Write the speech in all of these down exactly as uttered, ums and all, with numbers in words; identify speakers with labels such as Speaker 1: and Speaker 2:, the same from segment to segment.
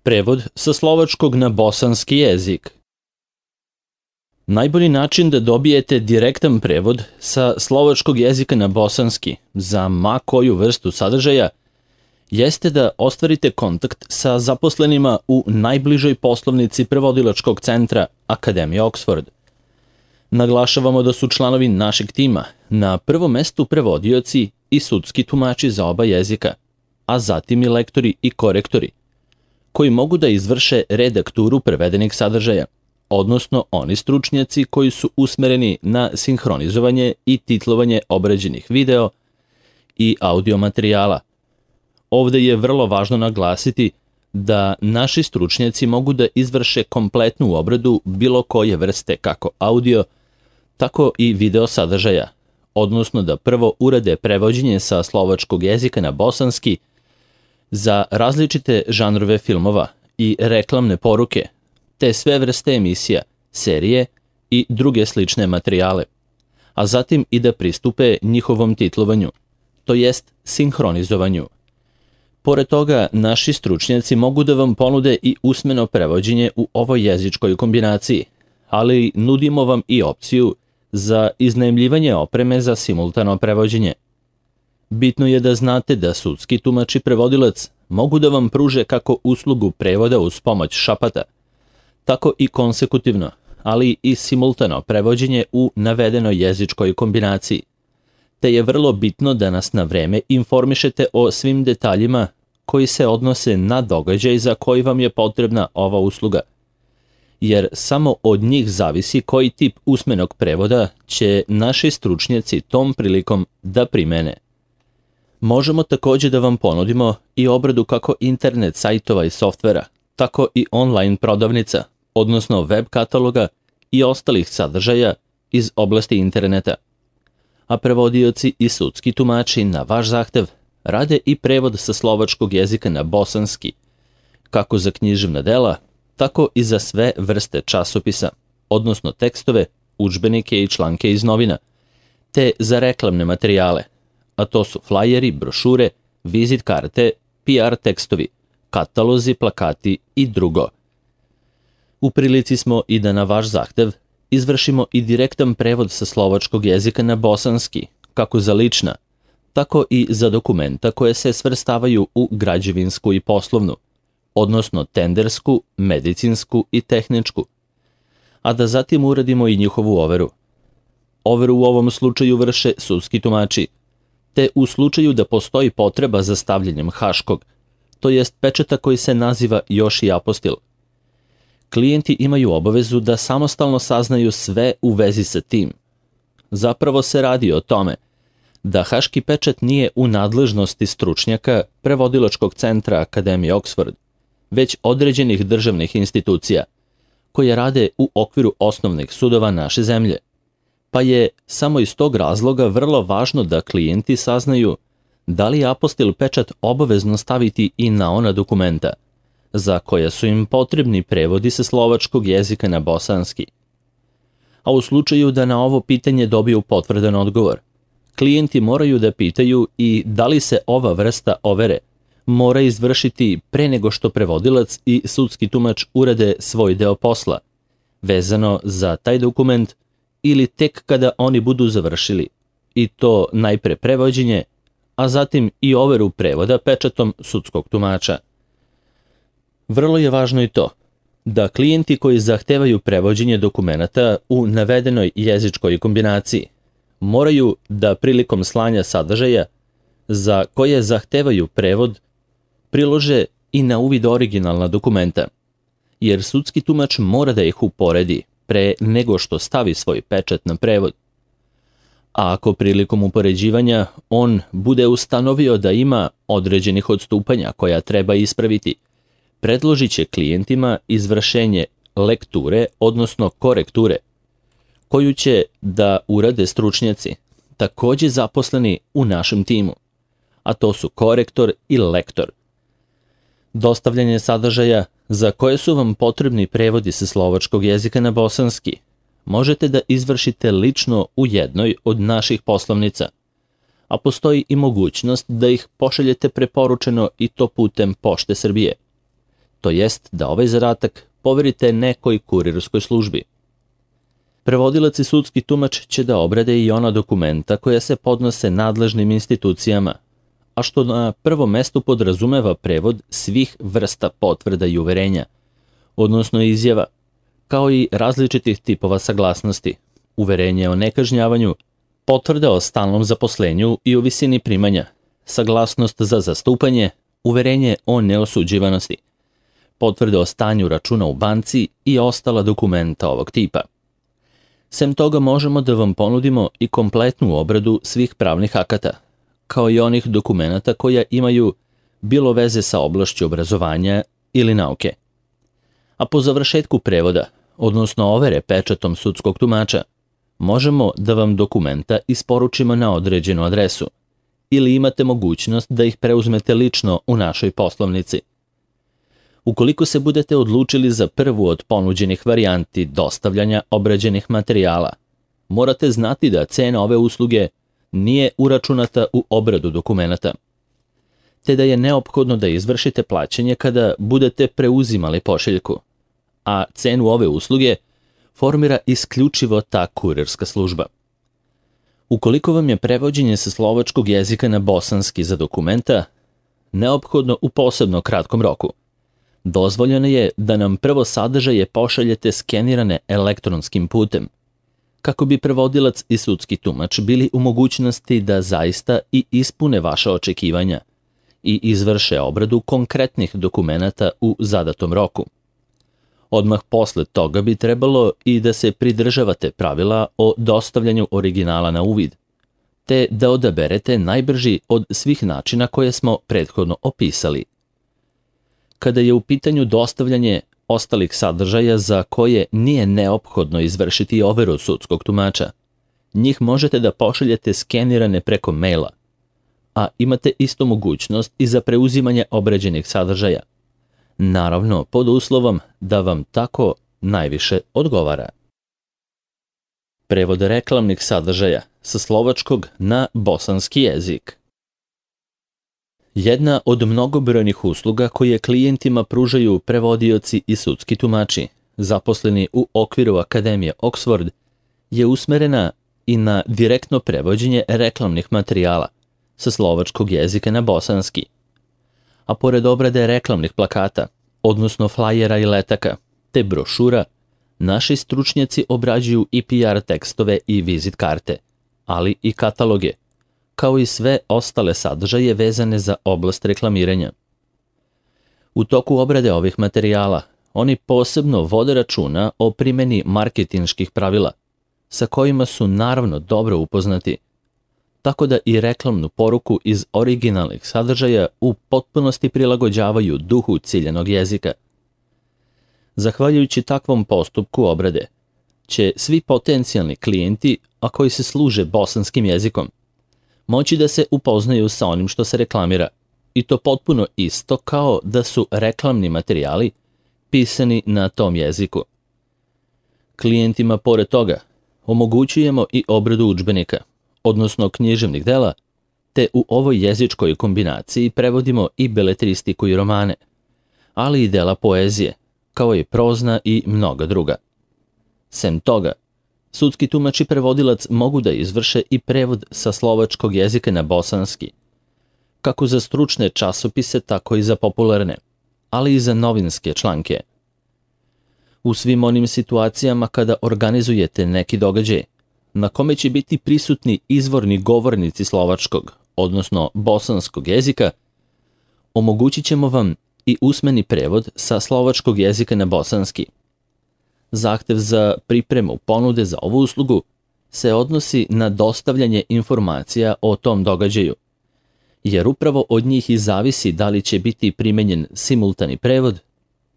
Speaker 1: Prevod sa slovačkog na bosanski jezik. Najbolji način da dobijete direktan prevod sa slovačkog jezika na bosanski za ma koju vrstu sadržaja jeste da ostvarite kontakt sa zaposlenima u najbližoj poslovnici prevodilačkog centra Akademije Oxford. Naglašavamo da su članovi našeg tima na prvom mestu prevodioci i sudski tumači za oba jezika, a zatim i lektori i korektori, koji mogu da izvrše redakturu prevedenih sadržaja, odnosno oni stručnjaci koji su usmereni na sinhronizovanje i titlovanje obrađenih video i audio materijala. Ovde je vrlo važno naglasiti da naši stručnjaci mogu da izvrše kompletnu obradu bilo koje vrste kako audio, tako i video sadržaja, odnosno da prvo urade prevođenje sa slovačkog jezika na bosanski za različite žanrove filmova i reklamne poruke, te sve vrste emisija, serije i druge slične materijale, a zatim i da pristupe njihovom titlovanju, to jest sinhronizovanju. Pored toga, naši stručnjaci mogu da vam ponude i usmeno prevođenje u ovoj jezičkoj kombinaciji, ali nudimo vam i opciju za iznajmljivanje opreme za simultano prevođenje. Bitno je da znate da sudski tumač i prevodilac mogu da vam pruže kako uslugu prevoda uz pomoć šapata, tako i konsekutivno, ali i simultano prevođenje u navedenoj jezičkoj kombinaciji, te je vrlo bitno da nas na vreme informišete o svim detaljima koji se odnose na događaj za koji vam je potrebna ova usluga, jer samo od njih zavisi koji tip usmenog prevoda će naši stručnjaci tom prilikom da primene. Možemo takođe da vam ponudimo i obradu kako internet sajtova i softvera, tako i online prodavnica, odnosno web kataloga i ostalih sadržaja iz oblasti interneta. A prevodioci i sudski tumači na vaš zahtev rade i prevod sa slovačkog jezika na bosanski, kako za književna dela, tako i za sve vrste časopisa, odnosno tekstove, udžbenike i članke iz novina, te za reklamne materijale, a to su flajeri, brošure, vizit karte, P R tekstovi, katalozi, plakati i drugo. U prilici smo i da na vaš zahtev izvršimo i direktan prevod sa slovačkog jezika na bosanski, kako za lična, tako i za dokumenta koje se svrstavaju u građevinsku i poslovnu, odnosno tendersku, medicinsku i tehničku, a da zatim uradimo i njihovu overu. Overu u ovom slučaju vrše sudski tumači, te u slučaju da postoji potreba za stavljanjem haškog, to jest pečata koji se naziva još i apostil. Klijenti imaju obavezu da samostalno saznaju sve u vezi sa tim. Zapravo se radi o tome da haški pečat nije u nadležnosti stručnjaka prevodilačkog centra Akademije Oxford, već određenih državnih institucija, koje rade u okviru osnovnih sudova naše zemlje, pa je samo iz tog razloga vrlo važno da klijenti saznaju da li je apostil pečat obavezno staviti i na ona dokumenta, za koja su im potrebni prevodi sa slovačkog jezika na bosanski. A u slučaju da na ovo pitanje dobiju potvrdan odgovor, klijenti moraju da pitaju i da li se ova vrsta overe mora izvršiti pre nego što prevodilac i sudski tumač urade svoj deo posla, vezano za taj dokument, ili tek kada oni budu završili, i to najpre prevođenje, a zatim i overu prevoda pečatom sudskog tumača. Vrlo je važno i to da klijenti koji zahtevaju prevođenje dokumenata u navedenoj jezičkoj kombinaciji moraju da prilikom slanja sadržaja za koje zahtevaju prevod prilože i na uvid originalna dokumenta, jer sudski tumač mora da ih uporedi pre nego što stavi svoj pečat na prevod. A ako prilikom upoređivanja on bude ustanovio da ima određenih odstupanja koja treba ispraviti, predložit će klijentima izvršenje lekture, odnosno korekture, koju će da urade stručnjaci, takođe zaposleni u našem timu, a to su korektor i lektor. Dostavljanje sadržaja za koje su vam potrebni prevodi sa slovačkog jezika na bosanski možete da izvršite lično u jednoj od naših poslovnica, a postoji i mogućnost da ih pošaljete preporučeno i to putem Pošte Srbije. to jest da ovaj zadatak poverite nekoj kurirskoj službi. Prevodilac i sudski tumač će da obrade i ona dokumenta koja se podnose nadležnim institucijama, a što na prvom mestu podrazumeva prevod svih vrsta potvrda i uverenja, odnosno izjava, kao i različitih tipova saglasnosti, uverenje o nekažnjavanju, potvrda o stalnom zaposlenju i o visini primanja, saglasnost za zastupanje, uverenje o neosuđivanosti, potvrde o stanju računa u banci i ostala dokumenta ovog tipa. Sem toga možemo da vam ponudimo i kompletnu obradu svih pravnih akata, kao i onih dokumenata koja imaju bilo veze sa oblašću obrazovanja ili nauke. A po završetku prevoda, odnosno overe pečatom sudskog tumača, možemo da vam dokumenta isporučimo na određenu adresu ili imate mogućnost da ih preuzmete lično u našoj poslovnici. Ukoliko se budete odlučili za prvu od ponuđenih varijanti dostavljanja obrađenih materijala, morate znati da cena ove usluge nije uračunata u obradu dokumenata, te da je neophodno da izvršite plaćanje kada budete preuzimali pošiljku, a cenu ove usluge formira isključivo ta kurirska služba. Ukoliko vam je prevođenje sa slovačkog jezika na bosanski za dokumenta neophodno u posebno kratkom roku, dozvoljeno je da nam prvo sadržaje pošaljete skenirane elektronskim putem, kako bi prevodilac i sudski tumač bili u mogućnosti da zaista i ispune vaša očekivanja i izvrše obradu konkretnih dokumenata u zadatom roku. Odmah posle toga bi trebalo i da se pridržavate pravila o dostavljanju originala na uvid, te da odaberete najbrži od svih načina koje smo prethodno opisali. Kada je u pitanju dostavljanje ostalih sadržaja za koje nije neophodno izvršiti overu sudskog tumača, njih možete da pošaljete skenirane preko maila, a imate isto mogućnost i za preuzimanje obrađenih sadržaja, naravno pod uslovom da vam tako najviše odgovara. Prevod reklamnih sadržaja sa slovačkog na bosanski jezik. Jedna od mnogobrojnih usluga koje klijentima pružaju prevodioci i sudski tumači, zaposleni u okviru Akademije Oxford, je usmerena i na direktno prevođenje reklamnih materijala sa slovačkog jezika na bosanski. A pored obrade reklamnih plakata, odnosno flajera i letaka, te brošura, naši stručnjaci obrađuju i P R tekstove i vizit karte, ali i kataloge, kao i sve ostale sadržaje vezane za oblast reklamiranja. U toku obrade ovih materijala, oni posebno vode računa o primjeni marketinških pravila, sa kojima su naravno dobro upoznati, tako da i reklamnu poruku iz originalnih sadržaja u potpunosti prilagođavaju duhu ciljanog jezika. Zahvaljujući takvom postupku obrade, će svi potencijalni klijenti, a koji se služe bosanskim jezikom, moći da se upoznaju sa onim što se reklamira, i to potpuno isto kao da su reklamni materijali pisani na tom jeziku. Klijentima pored toga omogućujemo i obradu udžbenika, odnosno književnih dela, te u ovoj jezičkoj kombinaciji prevodimo i beletristiku i romane, ali i dela poezije, kao i prozna i mnoga druga. Sem toga, sudski tumač i prevodilac mogu da izvrše i prevod sa slovačkog jezika na bosanski, kako za stručne časopise, tako i za popularne, ali i za novinske članke. U svim onim situacijama kada organizujete neki događaj, na kome će biti prisutni izvorni govornici slovačkog, odnosno bosanskog jezika, omogućit ćemo vam i usmeni prevod sa slovačkog jezika na bosanski. Zahtev za pripremu ponude za ovu uslugu se odnosi na dostavljanje informacija o tom događaju, jer upravo od njih i zavisi da li će biti primenjen simultani prevod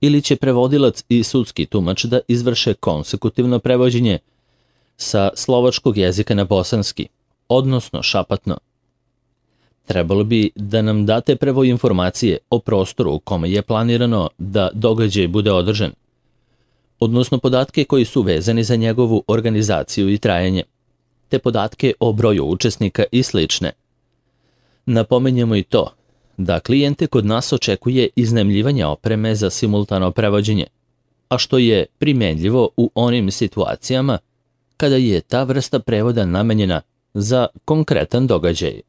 Speaker 1: ili će prevodilac i sudski tumač da izvrše konsekutivno prevođenje sa slovačkog jezika na bosanski, odnosno šapatno. Trebalo bi da nam date prvo informacije o prostoru u kome je planirano da događaj bude održan, odnosno podatke koji su vezani za njegovu organizaciju i trajanje, te podatke o broju učesnika i slične. Napomenjemo i to da klijente kod nas očekuje iznajmljivanje opreme za simultano prevođenje, a što je primenljivo u onim situacijama kada je ta vrsta prevoda namenjena za konkretan događaj.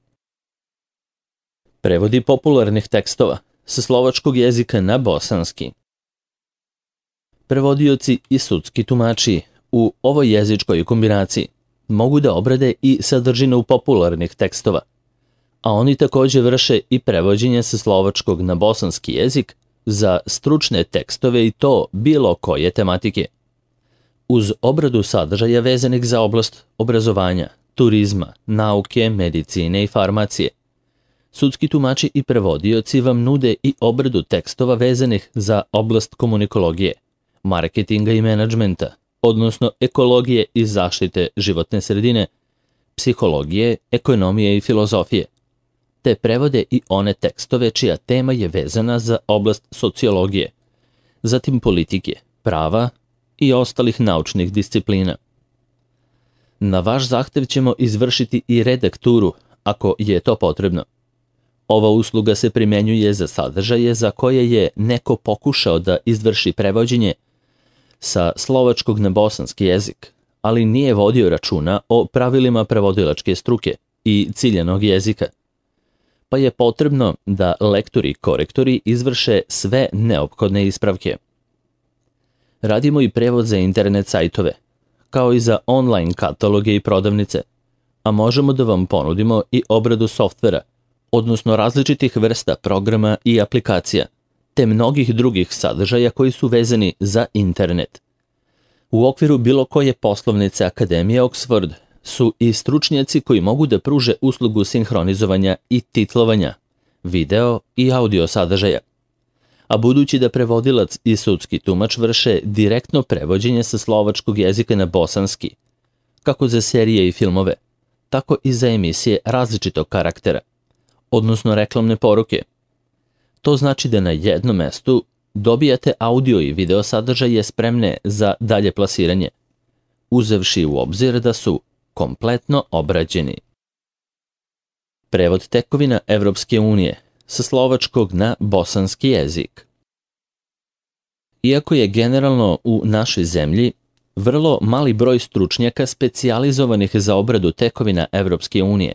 Speaker 1: Prevodi popularnih tekstova sa slovačkog jezika na bosanski. Prevodioci i sudski tumači u ovoj jezičkoj kombinaciji mogu da obrade i sadržinu popularnih tekstova, a oni također vrše i prevođenje sa slovačkog na bosanski jezik za stručne tekstove i to bilo koje tematike. Uz obradu sadržaja vezanih za oblast obrazovanja, turizma, nauke, medicine i farmacije, sudski tumači i prevodioci vam nude i obradu tekstova vezanih za oblast komunikologije, marketinga i menadžmenta, odnosno ekologije i zaštite životne sredine, psihologije, ekonomije i filozofije, te prevode i one tekstove čija tema je vezana za oblast sociologije, zatim politike, prava i ostalih naučnih disciplina. Na vaš zahtev ćemo izvršiti i redakturu, ako je to potrebno. Ova usluga se primenjuje za sadržaje za koje je neko pokušao da izvrši prevođenje sa slovačkog na bosanski jezik, ali nije vodio računa o pravilima prevodilačke struke i ciljanog jezika, pa je potrebno da lektori i korektori izvrše sve neophodne ispravke. Radimo i prevod za internet sajtove, kao i za online kataloge i prodavnice, a možemo da vam ponudimo i obradu softvera, odnosno različitih vrsta programa i aplikacija, te mnogih drugih sadržaja koji su vezani za internet. U okviru bilo koje poslovnice Akademije Oxford su i stručnjaci koji mogu da pruže uslugu sinhronizovanja i titlovanja, video i audio sadržaja. A budući da prevodilac i sudski tumač vrše direktno prevođenje sa slovačkog jezika na bosanski, kako za serije i filmove, tako i za emisije različitog karaktera, odnosno reklamne poruke. To znači da na jednom mestu dobijate audio i video sadržaje spremne za dalje plasiranje, uzevši u obzir da su kompletno obrađeni. Prevod tekovina Evropske unije sa slovačkog na bosanski jezik. Iako je generalno u našoj zemlji vrlo mali broj stručnjaka specijalizovanih za obradu tekovina Evropske unije,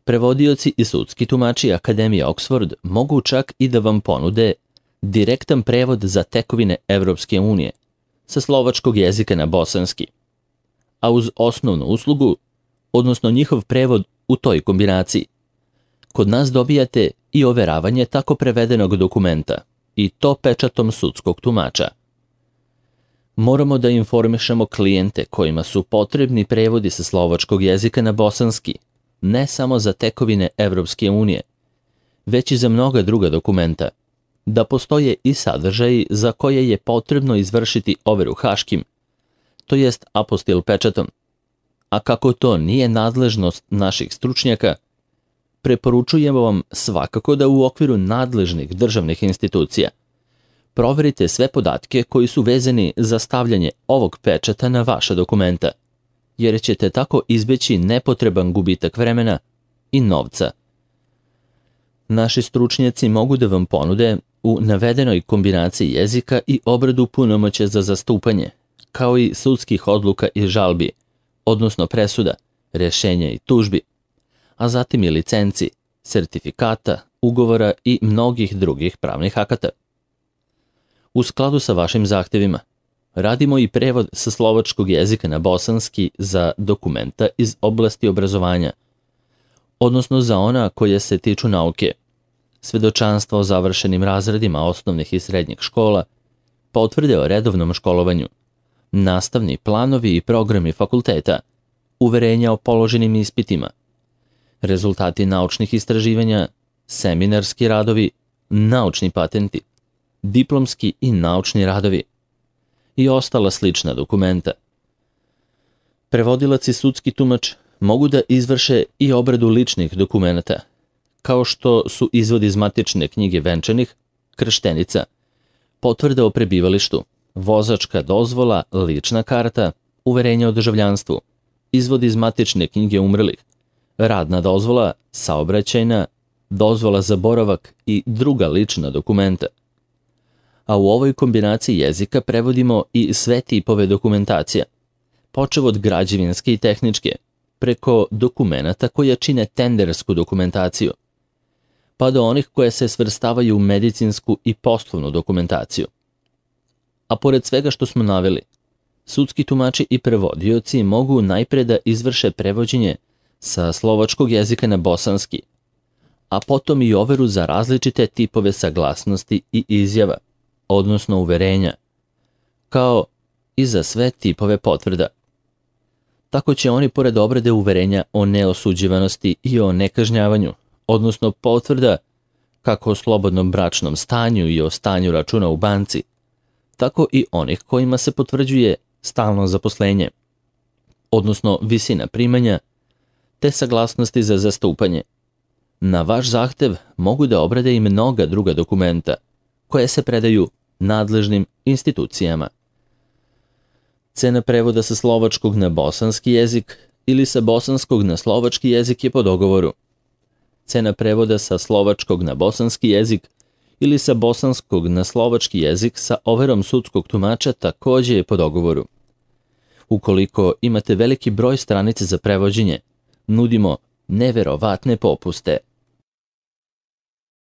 Speaker 1: prevodioci i sudski tumači Akademije Oxford mogu čak i da vam ponude direktan prevod za tekovine Evropske unije sa slovačkog jezika na bosanski, a uz osnovnu uslugu, odnosno njihov prevod u toj kombinaciji, kod nas dobijate i overavanje tako prevedenog dokumenta, i to pečatom sudskog tumača. Moramo da informišemo klijente kojima su potrebni prevodi sa slovačkog jezika na bosanski, ne samo za tekovine Evropske unije, već i za mnoga druga dokumenta, da postoje i sadržaji za koje je potrebno izvršiti overu haškim, to jest apostil pečatom. A kako to nije nadležnost naših stručnjaka, preporučujemo vam svakako da u okviru nadležnih državnih institucija proverite sve podatke koji su vezani za stavljanje ovog pečata na vaša dokumenta, jer ćete tako izbeći nepotreban gubitak vremena i novca. Naši stručnjaci mogu da vam ponude u navedenoj kombinaciji jezika i obradu punomoćja za zastupanje, kao i sudskih odluka i žalbi, odnosno presuda, rješenja i tužbi, a zatim i licenci, sertifikata, ugovora i mnogih drugih pravnih akata. U skladu sa vašim zahtevima, radimo i prevod sa slovačkog jezika na bosanski za dokumenta iz oblasti obrazovanja, odnosno za ona koja se tiču nauke, svedočanstva o završenim razredima osnovnih i srednjih škola, potvrde o redovnom školovanju, nastavni planovi i programi fakulteta, uverenja o položenim ispitima, rezultati naučnih istraživanja, seminarski radovi, naučni patenti, diplomski i naučni radovi i ostala slična dokumenta. Prevodilac i sudski tumač mogu da izvrše i obradu ličnih dokumenta, kao što su izvod iz matične knjige venčanih, krštenica, potvrda o prebivalištu, vozačka dozvola, lična karta, uverenje o državljanstvu, izvod iz matične knjige umrlih, radna dozvola, saobraćajna dozvola za boravak i druga lična dokumenta. A u ovoj kombinaciji jezika prevodimo i sve tipove dokumentacija, počev od građevinske i tehničke, preko dokumenata koja čine tendersku dokumentaciju, pa do onih koje se svrstavaju u medicinsku i poslovnu dokumentaciju. A pored svega što smo naveli, sudski tumači i prevodioci mogu najpre da izvrše prevođenje sa slovačkog jezika na bosanski, a potom i overu za različite tipove saglasnosti i izjava, odnosno uverenja, kao i za sve tipove potvrda. Tako će oni pored obrade uverenja o neosuđivanosti i o nekažnjavanju, odnosno potvrda kako o slobodnom bračnom stanju i o stanju računa u banci, tako i onih kojima se potvrđuje stalno zaposlenje, odnosno visina primanja, te saglasnosti za zastupanje. Na vaš zahtev mogu da obrade i mnoga druga dokumenta, koje se predaju nadležnim institucijama. Cena prevoda sa slovačkog na bosanski jezik ili sa bosanskog na slovački jezik je po dogovoru. Cena prevoda sa slovačkog na bosanski jezik ili sa bosanskog na slovački jezik sa overom sudskog tumača takođe je po dogovoru. Ukoliko imate veliki broj stranica za prevođenje, nudimo neverovatne popuste.